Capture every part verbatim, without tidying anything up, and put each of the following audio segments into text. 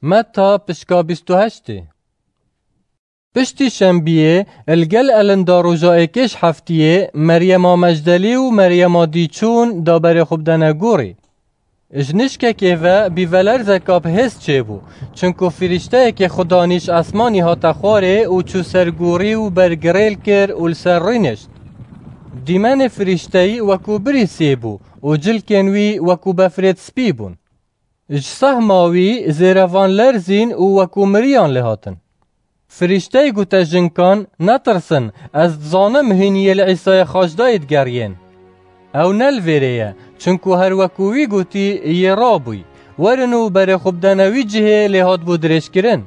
Meta pişka bîst û heştê. Piştî şembiyê, li gel elinda roja êkê ji heftiyê, Meryema Mecdelî û Meryema dî çûn da berê xwe bidene gorî. Ji nişkekê ve bîvelerzeka bi hêz çêbû, çinku firîşteyekê xudanî ji esmanî hate xwarê û çû ser gorî û ber girêl kir û li ser rûnişt. Dîmenê firîşteyî wekû birîsiyê bû û cilkên wî wekû befrêt spî bûn. Ji sehma wî zêrevan lerzîn û wekû miriyan lê hatin. Firîşteyê gote jinkan, "Netirsin, ez dizanim hûn yê li Îsayê Xaçdayê digeriyên. Ew ne li vêrê ye, çinku her wekû wî gotî yê rabûy. Werin û berê xwe bidene wî cihê lê hatibû dirêjkirin."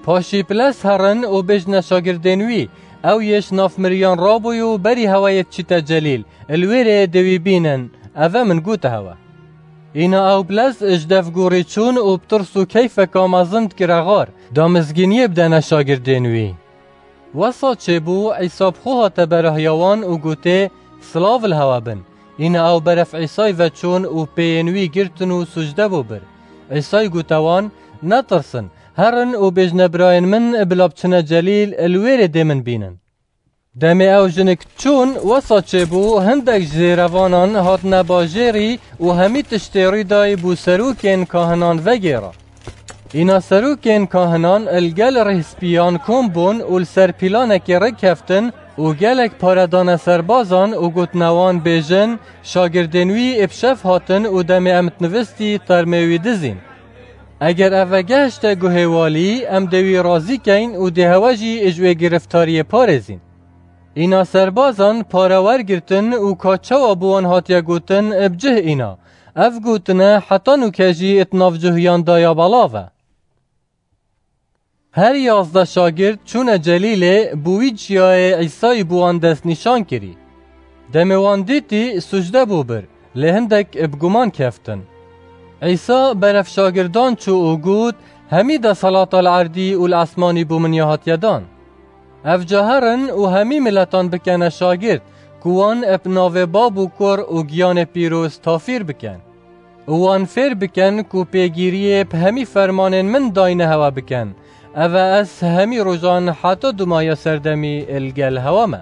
Paşî piles herin û bêjne şagirdên wî, "Ew yê ji nav miriyan rabûy û berî hewayê diçîte Celîl, li wêrê dê wî bînin, ev e min gote hewe." Îna ew piles ji dev gorî çûn û bi tirs û keyfeka mezin dikire xar, da mizgîniyê bidene şagirdên wî. Wesa çêbû, Îsa bi xwe hate berahiya wan û gotê, "Silav li hewe bin." Îna ew beref Îsayî ve çûn û pêyên wî girtin û sucde bû bir. Îsayî gote wan, "Netirsin, herin û bêjne birayên min bila biçine Celîl, li wêrê dê min bînin." Demê ew jinik çûn, wesa çêbû, hindek ji zêrevanan hatine bajêrî û hemî tiştê rûdayî bo serokên kahinan vegêra. Îna serokên kahinan li gel rêhspiyan kom bûn û li ser pîlanekê rêkeftin û gelek pare dane serbazan û gotine wan, bêjin, "Şagirdên wî ê bi şev hatin û demê em dinivistî termê wî dizîn. Eger ev vegehişte guhê walî, em dê wî razî keyn û dê hewe jî ji wê giriftariyê parêzîn." Îna serbazan pare wergirtin û ka çawa bi wan hatiye gotin, bi cih îna. Ev gotine heta nûke jî di navcuhiyan de ya belav e. Her yazdeh şagird çûne Celîlê, bo wî çiyayê Îsayî bo wan destnîşan kirî. Demê wan dîtî, sucde bû bir, lê hindek bi guman keftin. Îsa beref şagirdan çû û got, "Hemî desalata li erdî û li esmanî bo min ya hatiye dan. Ev ca herin û hemî miletan bikene şagird, ku wan bi navê Bab û Kur û Giyanê Pîroz tafîr bikin. Û wan fêr bikin ku pêgîriyê bi hemî fermanên min dayne hewe bikin. Ev e ez hemî rojan heta dumaya serdemî li gel hewe me."